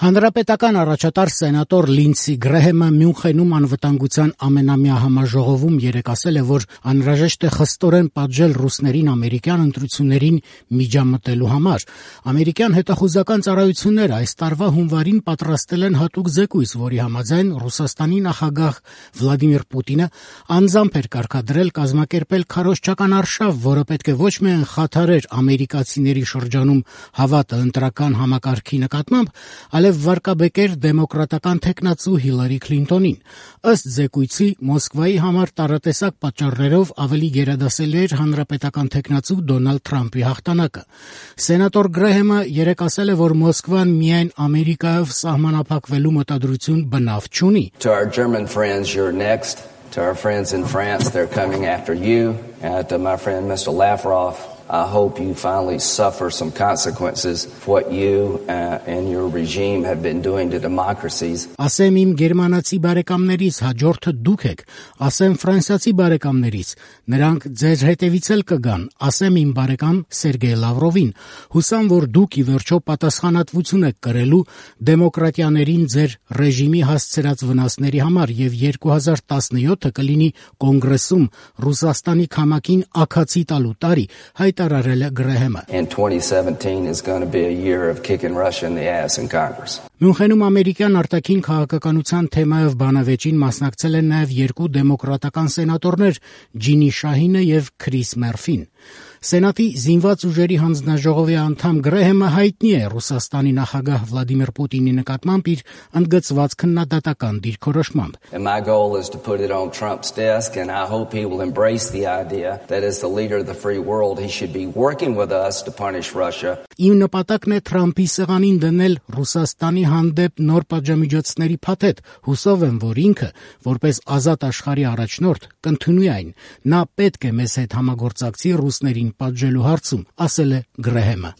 Հանրապետական առաջատար սենատոր Լինդսի Գրեհեմը Մյունխենում անվտանգության ամենամյա համաժողովում երեկ ասել է, որ անհրաժեշտ է խստորեն պատժել ռուսներին ամերիկյան ընտրություններին միջամտելու համար։ Ամերիկյան հետախուզական ծառայությունները այս տարվա հունվարին պատրաստել են հատուկ զեկույց, որի համաձայն Ռուսաստանի նախագահ Վլադիմիր Պուտինը անձամբ էր կարգադրել կազմակերպել քարոզչական արշավ, որը պետք է ոչ միայն խաթարեր ամերիկացիների շրջանում հավատը ընտրական համակարգի նկատմամբ, այլև վարկաբեկեր դեմոկրատական թեկնածու Հիլարի Քլինտոնին։ Ըստ զեկույցի, Մոսկվայի համար տարատեսակ պատճառներով ավելի գերադասելի էր հանրապետական թեկնածու Դոնալդ Թրամփի հաղթանակը։ Սենատոր Գրեհեմը երեկ ասել է, որ Մոսկվան միայն Ամերիկայով սահմանափակվելու մտադրություն բնավ չունի։ To our German friends, you're next. To our friends in France, they're coming after you. To my friend Mr. Lavrov, I hope you finally suffer some consequences for what you and your regime have been doing to democracies. Ասեմ իմ գերմանացի բարեկամներից, հաջորդը դուք եք, ասեմ ֆրանսիացի բարեկամներից, նրանք ձեր հետևից էլ կգան, ասեմ իմ բարեկամ Սերգեյ Լավրովին, հուսամ, որ դուք ի վերջո պատասխանատվություն եք կրելու դեմոկրատիաներին ձեր ռեժիմի հասցրած վնասների համար եւ 2017-ը կլինի կոնգրեսում Ռուսաստանի քամակին աքացի տալու տարի, հայտարարել է Գրեհեմը։ And 2017 is going to be a year of kicking Russia in the ass in Congress. Մյունխենում ամերիկյան արտաքին քաղաքականության թեմայով բանավեճին մասնակցել են նաև երկու դեմոկրատական սենատորներ՝ Ջինի Շահինը եւ Քրիս Մերֆին։ Սենատի զինված ուժերի հանձնաժողովի անդամ Գրեհեմը հայտնի է Ռուսաստանի նախագահ Վլադիմիր Պուտինի նկատմամբ իր ընդգծված քննադատական դիրքորոշմամբ։ And my goal is to put it on Trump's desk, and I hope he will embrace the idea that as the leader of the free world, he should be working with us to punish Russia. Իմ նպատակն է Թրամփի սեղանին դնել Ռուսաստանի հանդեպ նոր պատժամիջոցների փաթեթ, հուսով եմ, որ ինքը, որպես ազատ աշխարհի առաջնորդ, կընդունի այն։ Նա պետք է մեզ հետ համագործակցի ռուսներին պատժելու հարցում, ասել է Գրեհեմը։